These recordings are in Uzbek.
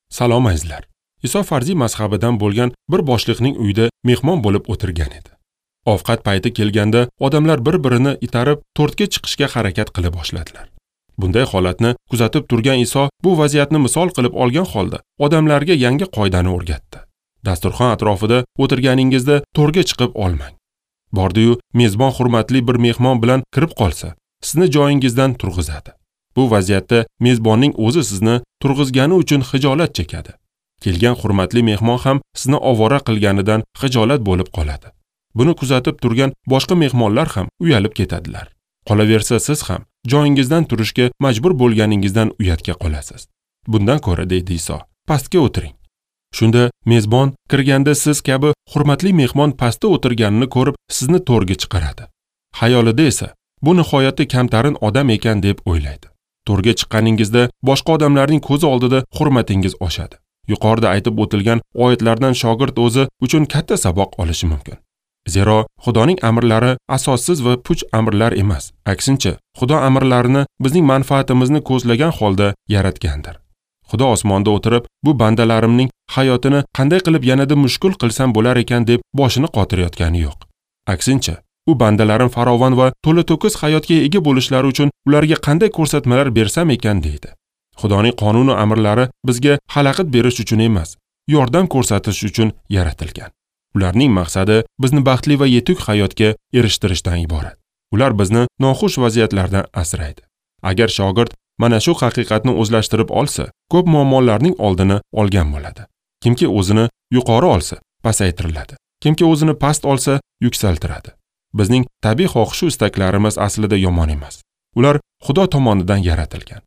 Salom azizlar. Iso farziy mazhabidan bo'lgan bir boshliqning uyida mehmon bo'lib o'tirgan edi. Ovqat payti kelganda odamlar bir-birini itarib tortga chiqishga harakat qila boshladilar. Bunday holatni kuzatib turgan Iso bu vaziyatni misol qilib olgan holda odamlarga yangi qoidani o'rgatdi. Dasturxon atrofida o'tirganingizda to'rga chiqib olmang. Bordi-yu mezbon hurmatli bir mehmon bilan kirib qolsa, sizni joyingizdan turg'izadi. Bu vaziyatda mezbonning o'zi sizni turg'izgani uchun xijolat chekadi. Kelgan hurmatli mehmon ham sizni ovora qilganidan xijolat bo'lib qoladi. Buni kuzatib turgan boshqa mehmonlar ham uyalib ketadilar. Qolaversa siz ham joyingizdan turishga majbur bo'lganingizdan uyatga qolasiz. Bundan ko'ra, deydi Iso, pastga o'tiring. Shunda mezbon kirganda siz kabi hurmatli mehmon pastda o'tirganini ko'rib, sizni to'rga chiqaradi. Xayolida esa bu nihoyatda kamtarin odam ekan deb o'ylaydi. To'rga chiqqaningizda boshqa odamlarning ko'zi oldida hurmatingiz oshadi. Yuqorida aytib o'tilgan oyatlardan shogird o'zi uchun katta saboq olishi mumkin. Zero Xudoning amrlari asossiz va puch amrlar emas. Aksincha, Xudo amrlarini bizning manfaatimizni ko'zlagan holda yaratgandir. Xudo osmonda o'tirib, bu bandalarimning hayotini qanday qilib yanada mushkul qilsam bo'lar ekan deb boshini qotirayotgani yo'q. Aksincha, u bandalarim farovon va to'la-to'kis hayotga ega bo'lishlari uchun ularga qanday ko'rsatmalar bersam ekan deydi. Xudoning qonun va amrlari bizga xalaqit berish uchun emas, yordam ko'rsatish uchun yaratilgan. Ularning maqsadi bizni baxtli va yetuk hayotga erishtirishdan iborat. Ular bizni noxush vaziyatlardan asraydi. Agar shogird mana shu haqiqatni o'zlashtirib olsa, ko'p muammolarning oldini olgan bo'ladi. Kimki o'zini yuqori olsa, pasaytiriladi. Kimki o'zini past olsa, yuksaltiradi. Bizning tabiiy xohish istaklarimiz aslida yomon emas. Ular Xudo tomonidan yaratilgan.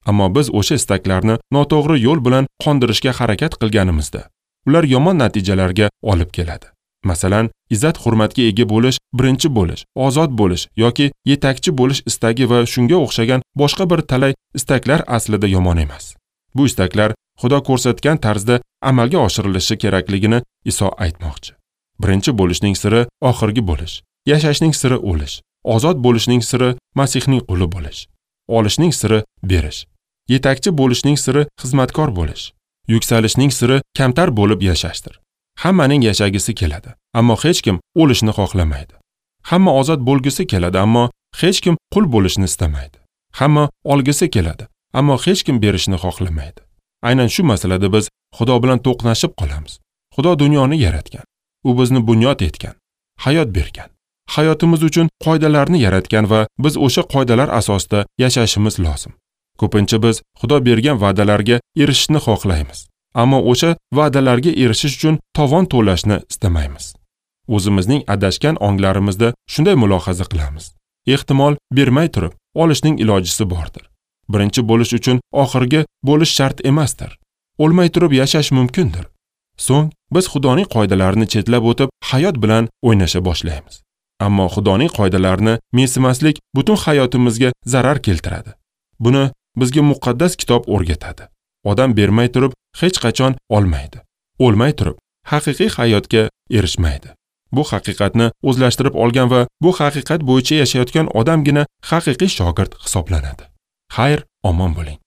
Ammo biz o'sha istaklarni noto'g'ri yo'l bilan qondirishga harakat qilganimizda, ular yomon natijalarga olib keladi. Masalan, izzat hurmatga ega bo'lish, birinchi bo'lish, ozod bo'lish yoki yetakchi bo'lish istagi va shunga o'xshagan boshqa bir talay istaklar aslida yomon emas. Bu istaklar Xudo ko'rsatgan tarzda amalga oshirilishi kerakligini Iso aytmoqchi. Birinchi bo'lishning siri oxirgi bo'lish, yashashning siri o'lish, ozod bo'lishning siri Masihning quli bo'lish, olishning siri berish, yetakchi bo'lishning siri xizmatkor bo'lish, yuksalishning siri kamtar bo'lib yashashdir. Hammaning yashagisi keladi, ammo hech kim o'lishni xohlamaydi. Hamma ozod bo'lgisi keladi, ammo hech kim qul bo'lishni istamaydi. Hamma olgisi keladi, ammo hech kim berishni xohlamaydi. Aynan shu masalada biz Xudo bilan to'qnashib qolamiz. Xudo dunyoni yaratgan. U bizni bunyod etgan, hayot bergan. Hayotimiz uchun qoidalarni yaratgan va biz o'sha qoidalar asosida yashashimiz lozim. Ko'pincha biz Xudo bergan va'dalarga erishishni xohlaymiz. Ammo o'sha va'dalarga erishish uchun tovon to'lashni istamaymiz. O'zimizning adashgan onglarimizda shunday mulohaza qilamiz. Ehtimol bermay turib olishning ilojisi bordir. Birinchi bo'lish uchun oxirgi bo'lish shart emasdir. O'lmay turib yashash mumkindir. So'ng biz Xudoning qoidalarini chetlab o'tib hayot bilan o'ynasha boshlaymiz. Ammo Xudoning qoidalarini mensimaslik butun hayotimizga zarar keltiradi. Buni bizga muqaddas kitob o'rgatadi. Odam bermay turib hech qachon olmaydi. O'lmay turib haqiqiy hayotga erishmaydi. Bu haqiqatni o'zlashtirib olgan va bu haqiqat bo'yicha yashayotgan odamgina haqiqiy shogird hisoblanadi. Xayr, omon bo'ling.